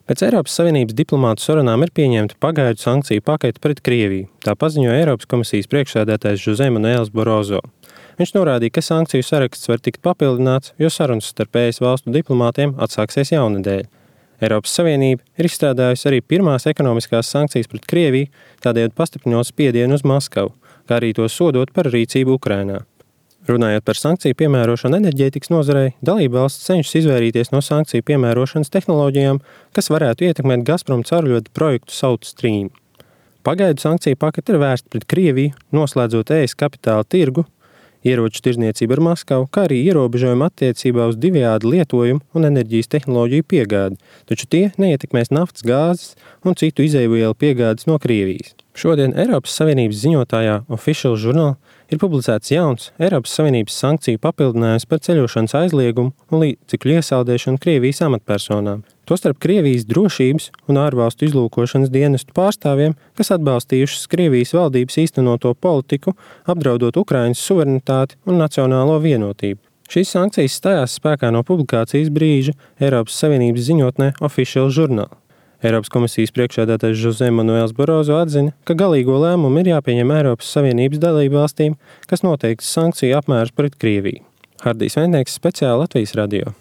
Pēc Eiropas Savienības diplomātu sarunām ir pieņemta pagaidu sankciju pakete pret Krieviju, tā paziņoja Eiropas komisijas priekšsēdētājs José Manuels Barroso. Viņš norādīja, ka sankciju saraksts var tikt papildināts, jo sarunas starp ES valstu diplomātiem atsāksies jaunadēļ. Eiropas Savienība ir izstrādājusi arī pirmās ekonomiskās sankcijas pret Krieviju, tādējādi pastiprinot spiedienu uz Maskavu, kā arī to sodot par rīcību Ukrainā. Runājot par sankciju piemērošanu enerģētikas nozarei, dalībvalstis cenšas izvairīties no sankciju piemērošanas tehnoloģijām, kas varētu ietekmēt Gazprom cauruļvadu projektu South Stream. Pagaidu sankciju pakete ir vērsta pret Krieviju, noslēdzot ES kapitāla tirgu, ieroču tirdzniecību ar Maskavu, kā arī ierobežojumu attiecībā uz divējādu lietojumu un enerģijas tehnoloģiju piegādi, taču tie neietekmēs naftas, gāzes un citu izejvielu piegādes no Krievijas. Šodien Eiropas Savienības ziņotājā Official Journal ir publicēts jauns Eiropas Savienības sankciju papildinājums par ceļošanas aizliegumu un līdzekļu iesaldēšanu Krievijas amatpersonām. Tostarp Krievijas drošības un ārvalstu izlūkošanas dienestu pārstāvjiem, kas atbalstījušas Krievijas valdības īstenoto politiku, apdraudot Ukrainas suverenitāti un nacionālo vienotību. Šīs sankcijas stājās spēkā no publikācijas brīža Eiropas Savienības ziņotnē Official Journal. Eiropas komisijas priekšsēdētājs José Manuels Barroso atzina, ka galīgo lēmumu ir jāpieņem Eiropas Savienības dalībvalstīm, kas noteikts sankciju apmērus pret Krieviju. Hardijs Veintnieks, speciāli Latvijas radio.